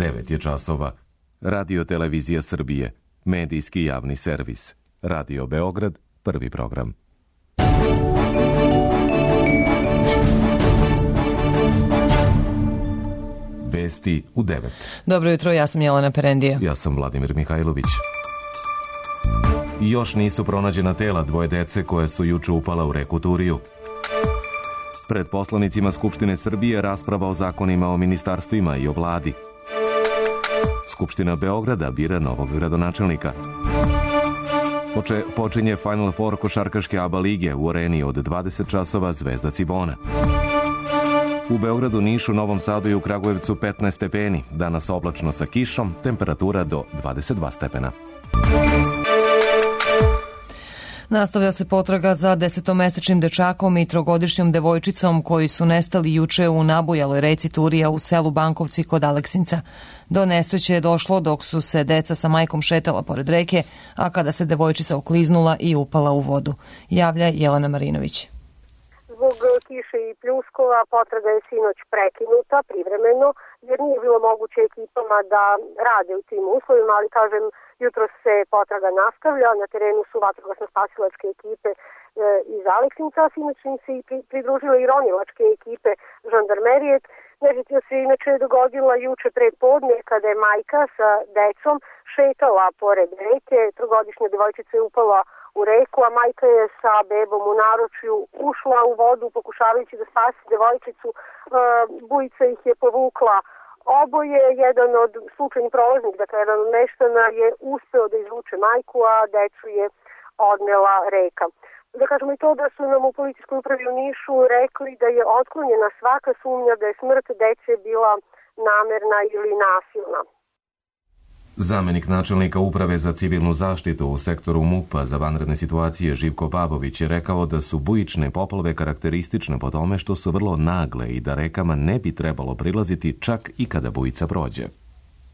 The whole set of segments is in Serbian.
9 je časova. Radio Televizija Srbije, medijski javni servis. Radio Beograd, prvi program. Vesti u 9. Dobro jutro, ja sam Jelena Perendija. Ja sam Vladimir Mihajlović. Još nisu pronađena tela dvoje dece koje su juče upala u reku Turiju. Pred poslanicima Skupštine Srbije rasprava o zakonima o ministarstvima i o vladi. Skupština Beograda bira novog gradonačelnika. Počinje Final Four košarkaške ABA lige u areni od 20 časova Zvezda Cibona. U Beogradu, Nišu, Novom Sadu i u Kragujevcu 15 stepeni. Danas oblačno sa kišom, temperatura do 22 stepena. Nastavlja se potraga za 10-mesečnim dečakom i 3-godišnjom devojčicom koji su nestali juče u nabujaloj reci Turija u selu Bankovci kod Aleksinca. Do nesreće je došlo dok su se deca sa majkom šetala pored reke, a kada se devojčica okliznula i upala u vodu. Javlja Jelena Marinović. Zbog kiše i pljuskova potraga je sinoć prekinuta privremeno, jer nije bilo moguće ekipama da rade u tim uslovima, ali kažem, jutro se potraga nastavlja, na terenu su vatrogasno-spasilačke ekipe iz Aleksinca, a sinoć im se i pridružile i ronilačke ekipe žandarmerije. Nesreća se inače dogodila juče predpodne kada je majka sa decom šetala pored reke, 3-godišnja devojčica je upala u reku, a majka je sa bebom u naručju ušla u vodu pokušavajući da spasi devojčicu. Bujica ih je povukla oboje, jedan od slučajnih prolaznika, dakle jedan od meštana je uspeo da izvuče majku, a decu je odnela reka. Da kažemo i to da su nam u policijskoj upravi u Nišu rekli da je otklonjena svaka sumnja da je smrt dece bila namerna ili nasilna. Zamenik načelnika Uprave za civilnu zaštitu u sektoru MUP-a za vanredne situacije Živko Babović je rekao da su bujične poplave karakteristične po tome što su vrlo nagle i da rekama ne bi trebalo prilaziti čak i kada bujica prođe.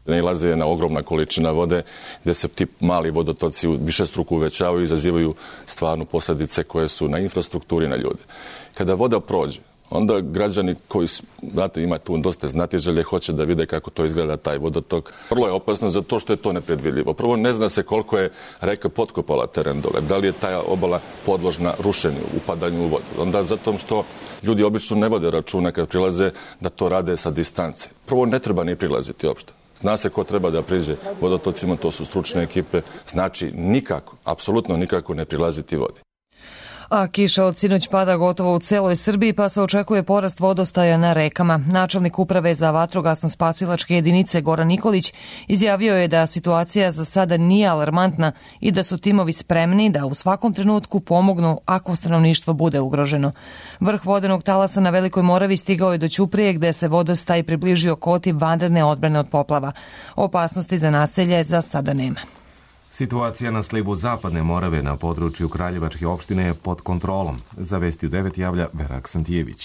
Nailaze na ogromna količina vode gde se ti mali vodotoci višestruko uvećavaju i izazivaju stvarno posljedice koje su na infrastrukturi i na ljude. Kada voda prođe, onda građani koji, znate, ima tu dosta znatiželje, hoće da vide kako to izgleda taj vodotok. Vrlo je opasno zato što je to nepredvidljivo. Prvo, ne zna se koliko je reka potkopala teren dole. Da li je ta obala podložna rušenju, upadanju u vodu. Onda zato što ljudi obično ne vode računa kad prilaze da to rade sa distance. Prvo, ne treba ni prilaziti uopšte. Zna se ko treba da priđe vodotocima, to su stručne ekipe. Znači, nikako, apsolutno nikako ne prilaziti vodi. A kiša od sinoć pada gotovo u celoj Srbiji, pa se očekuje porast vodostaja na rekama. Načelnik Uprave za vatrogasno-spasilačke jedinice Goran Nikolić izjavio je da situacija za sada nije alarmantna i da su timovi spremni da u svakom trenutku pomognu ako stanovništvo bude ugroženo. Vrh vodenog talasa na Velikoj Moravi stigao je do Ćuprije gde se vodostaj približio koti vanredne odbrane od poplava. Opasnosti za naselje za sada nema. Situacija na slivu Zapadne Morave na području Kraljevačke opštine je pod kontrolom. Za Vesti u 9 javlja Vera Aksentijević.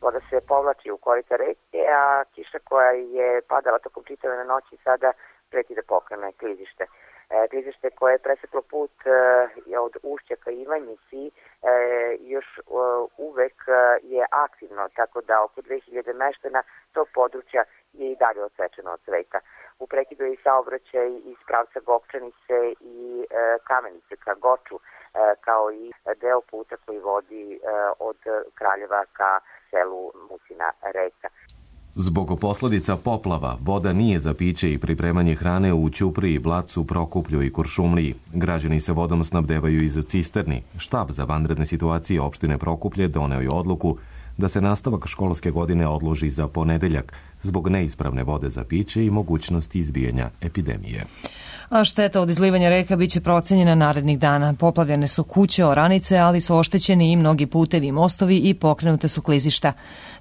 Voda se povlači u korita reke, a kiša koja je padala tokom čitave noći sada preti da pokrene klizište. Klizište koje je preseklo put od ušća ka Ivanjici još uvek je aktivno, tako da oko 2000 meštana tog područja je i dalje odsečeno od sveta. U prekidu je i saobraćaj iz pravca Gokčanice i Kamenice ka Goču, kao i deo puta koji vodi od Kraljeva ka selu Musina Reka. Zbog posledica poplava, voda nije za piće i pripremanje hrane u Ćupriji, Blacu, Prokuplju i Kuršumliji. Građani se vodom snabdevaju iz cisterni. Štab za vanredne situacije opštine Prokuplje doneo je odluku da se nastavak školske godine odloži za ponedeljak zbog neispravne vode za piće i mogućnosti izbijanja epidemije. A šteta od izlivanja reka biće procenjena narednih dana. Poplavljene su kuće, oranice, ali su oštećeni i mnogi putevi i mostovi i pokrenute su klizišta.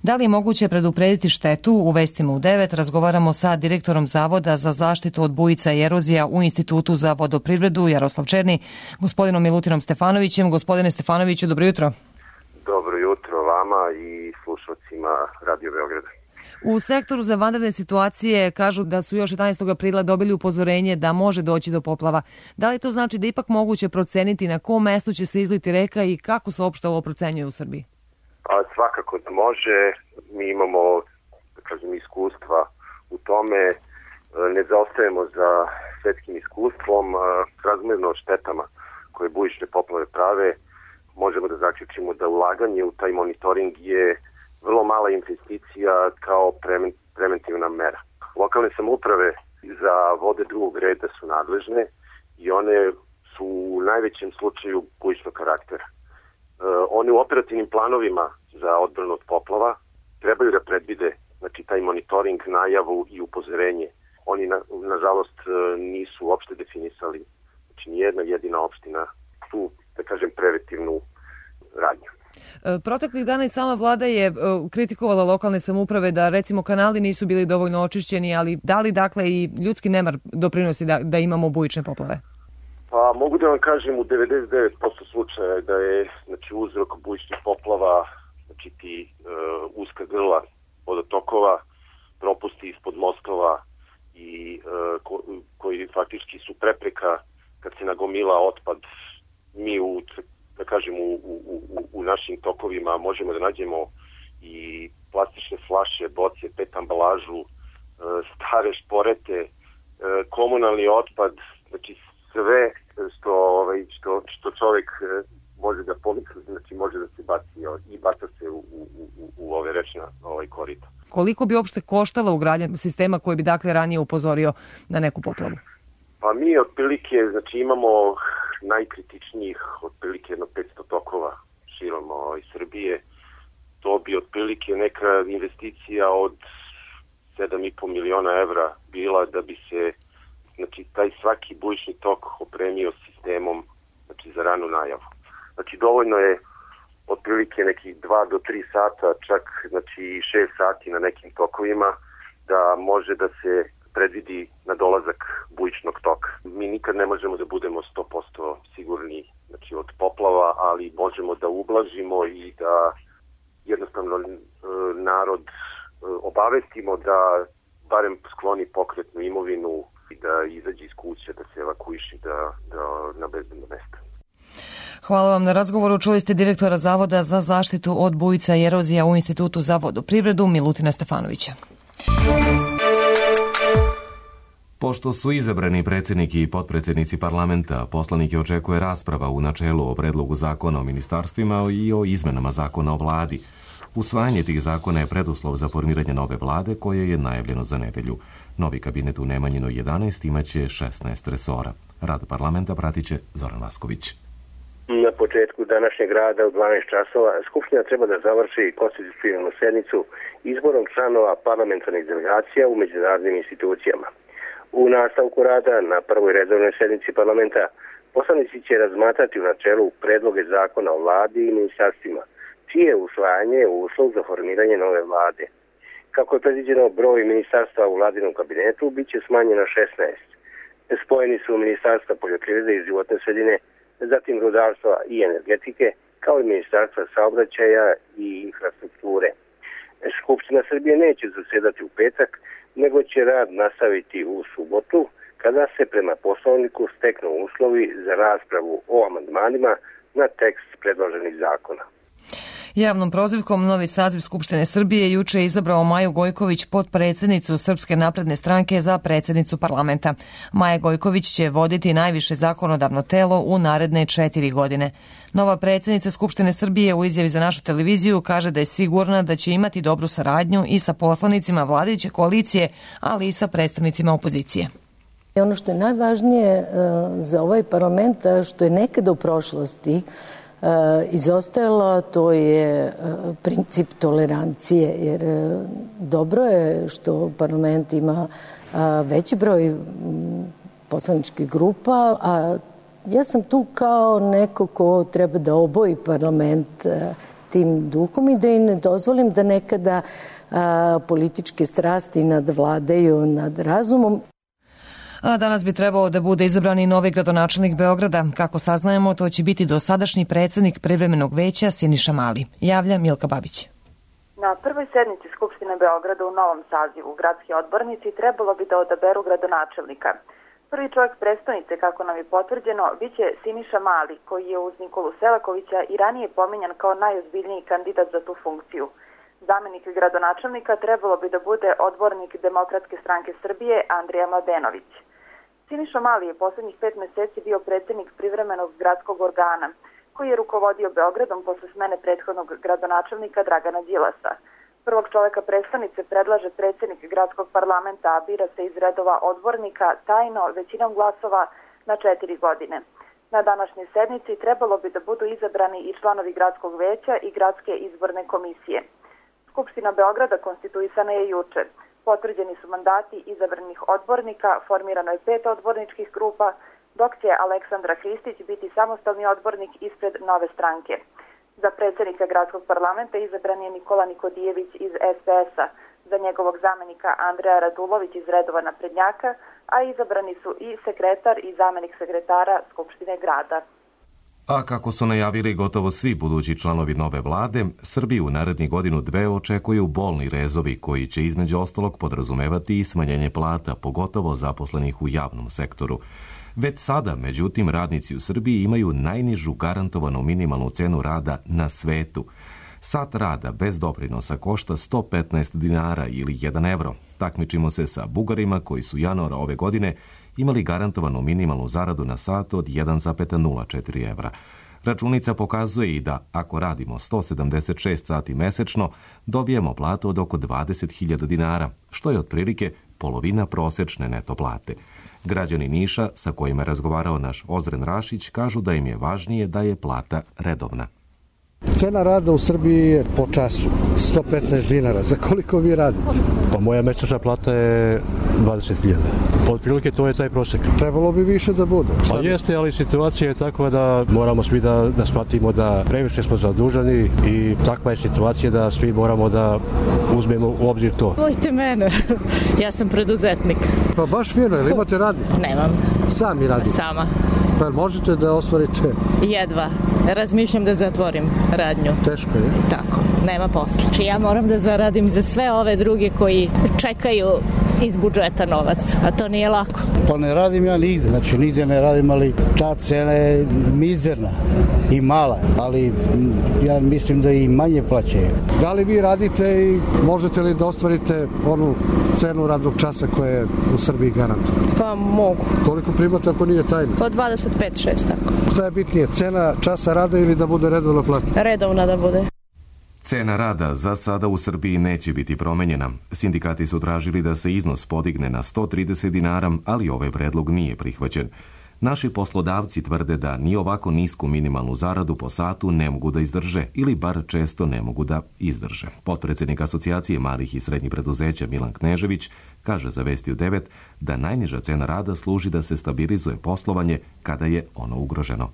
Da li je moguće preduprediti štetu? U Vestima u 9 razgovaramo sa direktorom Zavoda za zaštitu od bujica i erozija u Institutu za vodoprivredu Jaroslav Černi, gospodinom Milutinom Stefanovićem. Gospodine Stefanoviću, dobro jutro. Dobro jutro vama i slušalcima Radio Beograda. U sektoru za vanredne situacije kažu da su još 11. aprila dobili upozorenje da može doći do poplava. Da li to znači da ipak moguće proceniti na kom mestu će se izliti reka i kako se uopšte ovo procenjuje u Srbiji? Svakako da može. Mi imamo, iskustva u tome ne zaostajemo za svetskim iskustvom, razmerno štetama koje bujične poplave prave, možemo da zaključimo da ulaganje u taj monitoring je vrlo mala investicija kao preventivna mera. Lokalne samouprave za vode drugog reda su nadležne i one su u najvećem slučaju bujičnog karaktera. One u operativnim planovima za odbranu od poplava trebaju da predvide taj monitoring, najavu i upozorenje. Oni, nažalost, nisu uopšte definisali, nijedna jedina opština tu, da kažem, preventivnu radnju. Proteklih dana i sama vlada je kritikovala lokalne samouprave da recimo kanali nisu bili dovoljno očišćeni, ali da li dakle i ljudski nemar doprinosi da imamo bujične poplave? Pa mogu da vam kažem u 99% slučaja da je uzrok bujičnih poplava ti uska grla vodotokova, propusti ispod mostova i koji faktički su prepreka kad se nagomila otpad. Mi u našim tokovima možemo da nađemo i plastične flaše, boce, PET ambalažu, stare šporete, komunalni otpad, sve što čovjek može da pomisli, može da se baci i baca se u ove rečna korita. Koliko bi uopšte koštala ugradnja sistema koji bi dakle ranije upozorio na neku poplavu? Pa mi otprilike imamo najkritičnijih otprilike 500 tokova širom Srbije. To bi otprilike neka investicija od 7,5 miliona evra bila da bi se taj svaki bujični tok opremio sistemom za ranu najavu. Dovoljno je otprilike nekih 2 do 3 sata, čak 6 sati na nekim tokovima da može da se predvidi na dolazak bujičnog toka. Mi nikad ne možemo da budemo 100% sigurni od poplava, ali možemo da ublažimo i da jednostavno narod obavestimo da barem skloni pokretnu imovinu i da izađe iz kuće, da se evakuiše na bezbedno mesto. Hvala vam na razgovoru. Čuli ste direktora Zavoda za zaštitu od bujica i erozija u Institutu za vodoprivredu Milutina Stefanovića. Pošto su izabrani predsjednik i potpredsjednici parlamenta, poslanike očekuje rasprava u načelu o predlogu zakona o ministarstvima i o izmenama zakona o vladi. Usvajanje tih zakona je preduslov za formiranje nove vlade koje je najavljeno za nedelju. Novi kabinet u Nemanjinoj 11 imaće 16 resora. Rad parlamenta pratit će Zoran Vasković. Na početku današnjeg rada u 12 časova Skupština treba da završi konstitutivnu sednicu izborom članova parlamentarnih delegacija u međunarodnim institucijama. U nastavku rada na prvoj redovnoj sednici parlamenta poslanici će razmatrati u načelu predloge zakona o vladi i ministarstvima, čije usvajanje je uslov za formiranje nove vlade. Kako je predviđeno, broj ministarstva u vladinom kabinetu bit će smanjen na 16. Spojeni su ministarstva poljoprivrede i životne sredine, zatim rudarstva i energetike, kao i ministarstva saobraćaja i infrastrukture. Skupština Srbije neće zasedati u petak, nego će rad nastaviti u subotu, kada se prema poslovniku steknu uslovi za raspravu o amandmanima na tekst predloženih zakona. Javnom prozivkom novi saziv Skupštine Srbije juče je izabrao Maju Gojković, potpredsjednicu Srpske napredne stranke, za predsjednicu parlamenta. Maja Gojković će voditi najviše zakonodavno telo u naredne 4 godine. Nova predsjednica Skupštine Srbije u izjavi za našu televiziju kaže da je sigurna da će imati dobru saradnju i sa poslanicima vladajuće koalicije, ali i sa predstavnicima opozicije. Ono što je najvažnije za ovaj parlament, što je nekada u prošlosti izostajalo, to je princip tolerancije, jer dobro je što parlament ima veći broj poslaničkih grupa, a ja sam tu kao neko ko treba da oboji parlament tim duhom i da im ne dozvolim da nekada političke strasti nadvladaju nad razumom. A danas bi trebao da bude izabran i novi gradonačelnik Beograda. Kako saznajemo, to će biti dosadašnji predsjednik privremenog veća Siniša Mali. Javlja Milka Babić. Na prvoj sednici Skupštine Beograda u novom sazivu gradski odbornici trebalo bi da odaberu gradonačelnika. Prvi čovjek prestonice, kako nam je potvrđeno, biće Siniša Mali, koji je uz Nikolu Selakovića i ranije pominjan kao najozbiljniji kandidat za tu funkciju. Zamenik gradonačelnika trebalo bi da bude odbornik Demokratske stranke Srbije Andrija Mladenović. Siniša Mali je poslednjih 5 meseci bio predsednik privremenog gradskog organa, koji je rukovodio Beogradom posle smene prethodnog gradonačelnika Dragana Đilasa. Prvog čoveka prestonice predlaže predsednik gradskog parlamenta, a bira se iz redova odbornika tajno većinom glasova na 4 godine. Na današnjoj sednici trebalo bi da budu izabrani i članovi gradskog veća i gradske izborne komisije. Skupština Beograda konstituisana je juče. Potvrđeni su mandati izabranih odbornika, formirano je 5 odborničkih grupa, dok će Aleksandra Hristić biti samostalni odbornik ispred Nove stranke. Za predsednika gradskog parlamenta izabran je Nikola Nikodijević iz SPS-a, za njegovog zamenika Andreja Radulović iz redova naprednjaka, a izabrani su i sekretar i zamenik sekretara Skupštine grada. A kako su najavili gotovo svi budući članovi nove vlade, Srbiju u narednih godinu dve očekuju bolni rezovi koji će između ostalog podrazumevati i smanjenje plata, pogotovo zaposlenih u javnom sektoru. Već sada, međutim, radnici u Srbiji imaju najnižu garantovanu minimalnu cenu rada na svetu. Sat rada bez doprinosa košta 115 dinara ili 1 evro. Takmičimo se sa Bugarima koji su januara ove godine imali garantovanu minimalnu zaradu na sat od 1,04 evra. Računica pokazuje i da ako radimo 176 sati mesečno, dobijemo platu od oko 20.000 dinara, što je otprilike polovina prosečne neto plate. Građani Niša, sa kojima je razgovarao naš Ozren Rašić, kažu da im je važnije da je plata redovna. Cena rada u Srbiji je po času 115 dinara. Za koliko vi radite? Pa moja mesečna plata je 20.000. Otprilike to je taj prosek. Trebalo bi više da bude. Pa jeste, ali situacija je takva da moramo svi da shvatimo da previše smo zaduženi i takva je situacija da svi moramo da uzmemo u obzir to. Vojte mene, ja sam preduzetnik. Pa baš fino, jel imate radnik? Nemam. Sami radite? Sama. Pa možete da ostvarite? Jedva. Razmišljam da zatvorim radnju. Teško je? Tako, nema posla. Či ja moram da zaradim za sve ove druge koji čekaju iz budžeta novac, a to nije lako. Pa ne radim ja nigde, znači nigde ne radim, ali ta cena je mizerna i mala, ali ja mislim da i manje plaćaju. Da li vi radite i možete li da ostvarite onu cenu radnog časa koja je u Srbiji garantovana? Pa mogu. Koliko primate ako nije tajno? Po 25-6 tako. Šta je bitnije, cena časa rada ili da bude redovna plata? Redovna da bude. Cena rada za sada u Srbiji neće biti promenjena. Sindikati su tražili da se iznos podigne na 130 dinara, ali ovaj predlog nije prihvaćen. Naši poslodavci tvrde da ni ovako nisku minimalnu zaradu po satu ne mogu da izdrže ili bar često ne mogu da izdrže. Potpredsednik Asocijacije malih i srednjih preduzeća Milan Knežević kaže za Vesti u 9 da najniža cena rada služi da se stabilizuje poslovanje kada je ono ugroženo.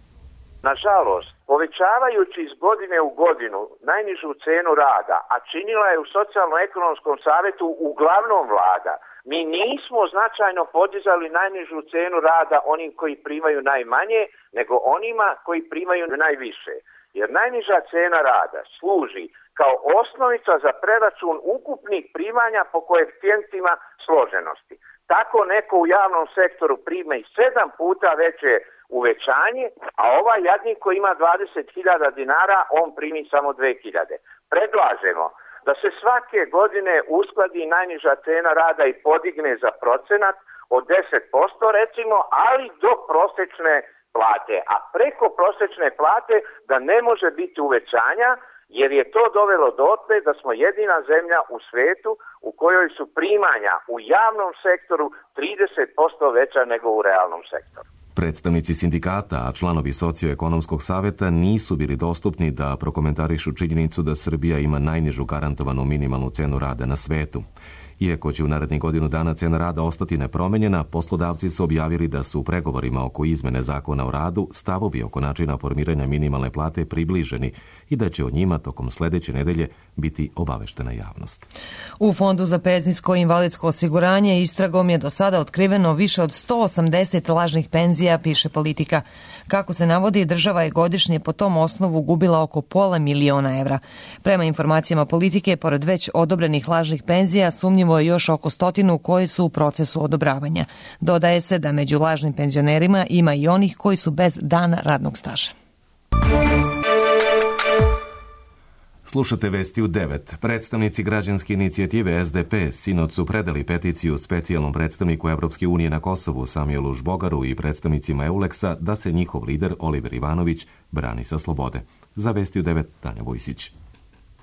Nažalost, povećavajući iz godine u godinu najnižu cenu rada, a činila je u Socijalno-ekonomskom savetu uglavnom vlada, mi nismo značajno podizali najnižu cenu rada onim koji primaju najmanje, nego onima koji primaju najviše. Jer najniža cena rada služi kao osnovica za preračun ukupnih primanja po koeficijentima složenosti. Tako neko u javnom sektoru prima i 7 puta veće uvećanje, a ovaj jadnik koji ima 20.000 dinara, on primi samo 2.000. Predlažemo da se svake godine uskladi najniža cena rada i podigne za procenat od 10% recimo, ali do prosečne plate. A preko prosečne plate da ne može biti uvećanja, jer je to dovelo dotle da smo jedina zemlja u svetu u kojoj su primanja u javnom sektoru 30% veća nego u realnom sektoru. Predstavnici sindikata, a članovi Socioekonomskog saveta nisu bili dostupni da prokomentarišu činjenicu da Srbija ima najnižu garantovanu minimalnu cenu rada na svetu. Iako će u narednih godinu dana cena rada ostati nepromenjena, poslodavci su objavili da su u pregovorima oko izmene zakona o radu stavovi oko načina formiranja minimalne plate približeni i da će o njima tokom sledeće nedelje biti obaveštena javnost. U Fondu za penzijsko i invalidsko osiguranje istragom je do sada otkriveno više od 180 lažnih penzija, piše Politika. Kako se navodi, država je godišnje po tom osnovu gubila oko $500.000 evra. Prema informacijama Politike, pored već odobrenih lažnih penzija, sumnjivo je još oko 100 koji su u procesu odobravanja. Dodaje se da među lažnim penzionerima ima i onih koji su bez dana radnog staža. Slušate vesti u 9. Predstavnici građanske inicijative SDP sinoć su predali peticiju specijalnom predstavniku Evropske unije na Kosovu Samuelu Žbogaru i predstavnicima EULEX-a da se njihov lider Oliver Ivanović brani sa slobode. Za vesti u 9, Tanja Vojsić.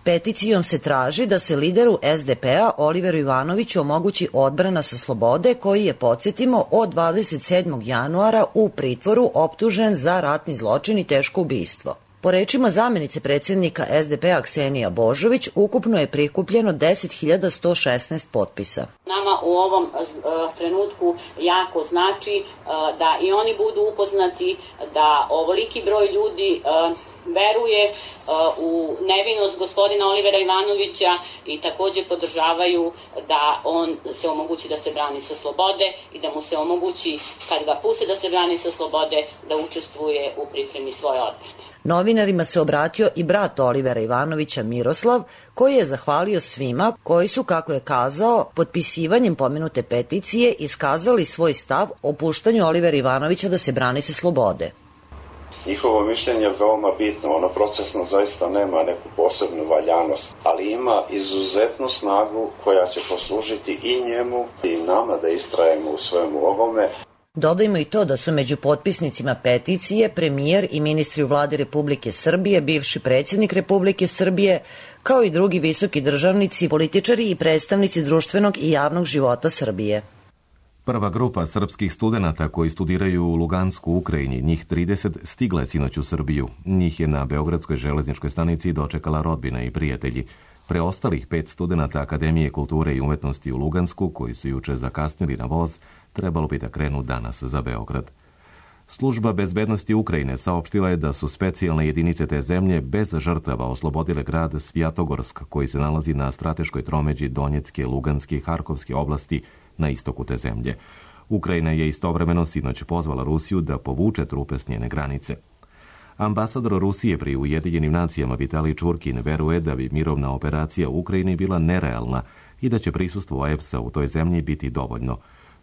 Peticijom se traži da se lideru SDP-a Oliveru Ivanoviću omogući odbrana sa slobode, koji je, podsjetimo, od 27. januara u pritvoru optužen za ratni zločin i teško ubistvo. Po rečima zamenice predsjednika SDP-a Ksenija Božović, ukupno je prikupljeno 10.116 potpisa. Nama u ovom trenutku jako znači da i oni budu upoznati da ovoliki broj ljudi veruje u nevinost gospodina Olivera Ivanovića i također podržavaju da on se omogući da se brani sa slobode i da mu se omogući, kad ga puste da se brani sa slobode, da učestvuje u pripremi svoje odbrane. Novinarima se obratio i brat Olivera Ivanovića Miroslav, koji je zahvalio svima koji su, kako je kazao, potpisivanjem pomenute peticije iskazali svoj stav o puštanju Olivera Ivanovića da se brani sa slobode. Njihovo mišljenje je veoma bitno, ono procesno zaista nema neku posebnu valjanost, ali ima izuzetnu snagu koja će poslužiti i njemu i nama da istrajemo u svemu ovome. Dodajmo i to da su među potpisnicima peticije premijer i ministri u vladi Republike Srbije, bivši predsjednik Republike Srbije, kao i drugi visoki državnici, političari i predstavnici društvenog i javnog života Srbije. Prva grupa srpskih studenata koji studiraju u Lugansku, Ukrajini, njih 30, stigla je sinoć u Srbiju. Njih je na Beogradskoj železničkoj stanici dočekala rodbina i prijatelji. Preostalih 5 studenata Akademije kulture i umetnosti u Lugansku, koji su juče zakasnili na voz, trebalo bi da krenu danas za Beograd. Služba bezbednosti Ukrajine saopštila je da su specijalne jedinice te zemlje bez žrtava oslobodile grad Svjatogorsk, koji se nalazi na strateškoj tromeđi Donjecke, Luganske i Harkovske oblasti na istoku te zemlje. Ukrajina je istovremeno sinoć pozvala Rusiju da povuče trupe s njene granice. Ambasador Rusije pri Ujedinjenim nacijama Vitalij Čurkin veruje da bi mirovna operacija u Ukrajini bila nerealna i da će prisustvo EPS-a u toj zemlji biti dovoljno.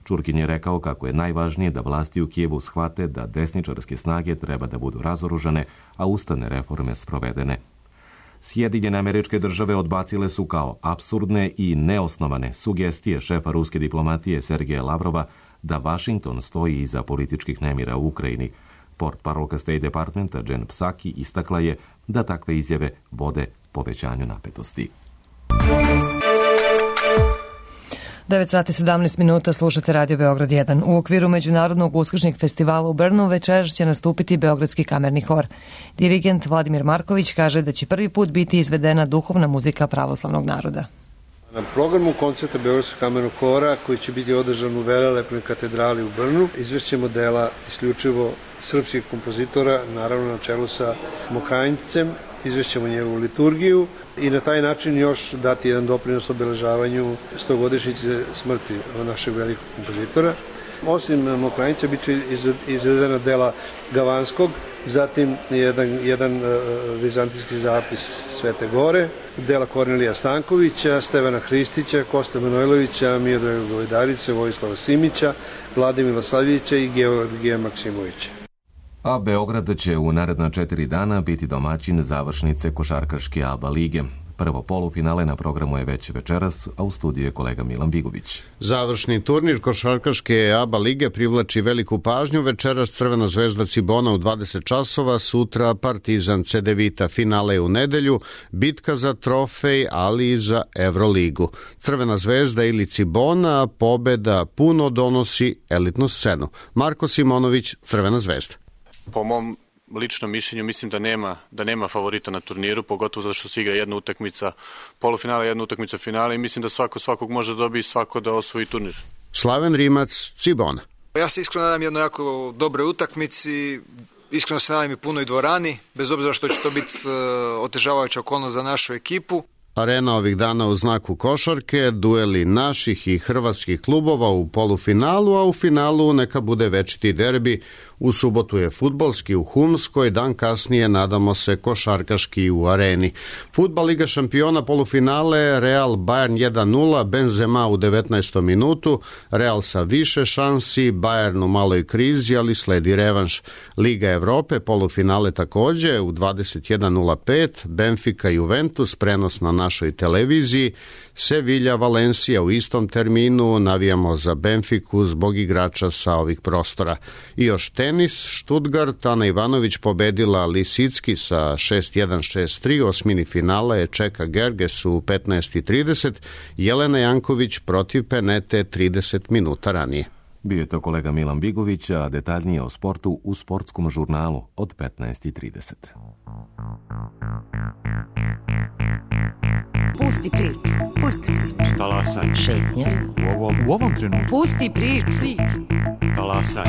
Čurkin je rekao kako je najvažnije da vlasti u Kijevu shvate da desničarske snage treba da budu razoružane, a ustavne reforme sprovedene. Sjedinjene Američke Države odbacile su kao apsurdne i neosnovane sugestije šefa ruske diplomatije Sergeja Lavrova da Vašington stoji iza političkih nemira u Ukrajini. Portparolka State Departmenta Jen Psaki istakla je da takve izjave vode povećanju napetosti. 9 sati 17 minuta, slušate Radio Beograd 1. U okviru Međunarodnog uskršnjeg festivala u Brnu večeras će nastupiti Beogradski kamerni hor. Dirigent Vladimir Marković kaže da će prvi put biti izvedena duhovna muzika pravoslavnog naroda. Na programu koncerta Beogradskog kamernog hora, koji će biti održan u velelepnoj katedrali u Brnu, izvešćemo dela isključivo srpskih kompozitora, naravno na čelu sa Mokranjcem, izvešćemo njegovu liturgiju i na taj način još dati jedan doprinos obeležavanju 100-godišnjice smrti našeg velikog kompozitora. Osim Mokranjića bit će izvedena dela Gavanskog, zatim jedan vizantijski zapis Svete Gore, dela Kornelija Stankovića, Stevana Hristića, Kosta Manojlovića, Miodraga Govedarice, Vojislava Simića, Vlade Milosavljevića i Georgija Maksimovića. A Beograd će u naredna 4 dana biti domaćin završnice košarkaške ABA lige. Prvo polufinale na programu je već večeras, a u studiju je kolega Milan Vigović. Završni turnir košarkaške ABA lige privlači veliku pažnju. Večeras Crvena zvezda Cibona u 20 časova, sutra Partizan Cedevita, finale u nedelju, bitka za trofej, ali i za Evroligu. Crvena zvezda ili Cibona, pobeda puno donosi elitnu scenu. Marko Simonović, Crvena zvezda. Po mom ličnom mišljenju mislim da nema favorita na turniru, pogotovo zato što se igra jedna utakmica polufinala, jedna utakmica finala i mislim da svakog može dobiti, svako da osvoji turnir. Slaven Rimac, Cibona. Ja se iskreno nadam jednoj jako dobroj utakmici, iskreno se nadam i punoj dvorani, bez obzira što će to biti otežavajuća okolnost za našu ekipu. Arena ovih dana u znaku košarke, dueli naših i hrvatskih klubova u polufinalu, a u finalu neka bude večiti derbi. U subotu je fudbalski u Humskoj, dan kasnije nadamo se košarkaški u Areni. Fudbal Liga šampiona polufinale, Real Bayern 1-0, Benzema u 19. minutu, Real sa više šansi, Bayern u maloj krizi, ali sledi revanš. Liga Evrope, polufinale takođe u 21:05, Benfica Juventus, prenos na našoj televiziji, Sevilla Valencija u istom terminu, navijamo za Benfiku zbog igrača sa ovih prostora. I još tenis, Stuttgart, Ana Ivanović pobedila Lisicki sa 6-1, 6-3, osmini finala je Čeka Gerges u 15:30, Jelena Janković protiv Penete 30 minuta ranije. Bio je to kolega Milan Bigović, a detaljnije o sportu u sportskom žurnalu od 15:30. Pusti priču, pusti priču. Talasaj. Šetnja. U ovom trenutku. Pusti priču. Talasaj.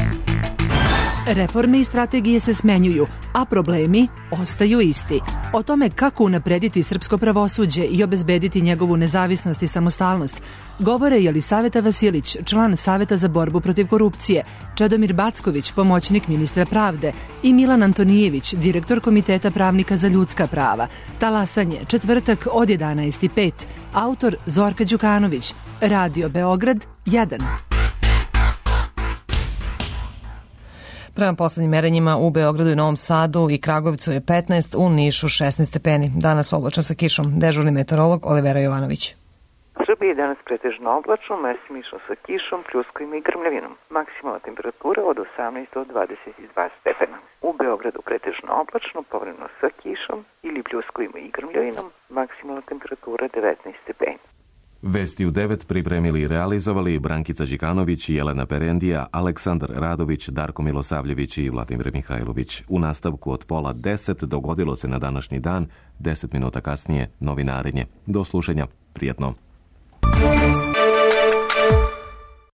Reforme i strategije se smenjuju, a problemi ostaju isti. O tome kako unaprediti srpsko pravosuđe i obezbediti njegovu nezavisnost i samostalnost govore Jelisaveta Vasilić, član Saveta za borbu protiv korupcije, Čedomir Backović, pomoćnik ministra pravde i Milan Antonijević, direktor Komiteta pravnika za ljudska prava. Talasanje, četvrtak od 11:05. Autor Zorka Đukanović. Radio Beograd 1. Prema poslednjim merenjima u Beogradu i Novom Sadu i Kragujevcu je 15, u Nišu 16 stepeni. Danas oblačno sa kišom. Dežurni meteorolog Olivera Jovanović. U Srbiji je danas pretežno oblačno, mesimično sa kišom, pljuskovima i grmljavinom. Maksimalna temperatura od 18 do 22 stepena. U Beogradu pretežno oblačno, povremeno sa kišom ili pljuskovima i grmljavinom. Maksimalna temperatura 19 stepeni. Vesti u 9 pripremili i realizovali Brankica Đikanović i Jelena Perendija, Aleksandar Radović, Darko Milosavljević i Vladimir Mihajlović. U nastavku od 9:30 dogodilo se na današnji dan, 10 minuta kasnije novinarenje. Do slušanja, prijatno.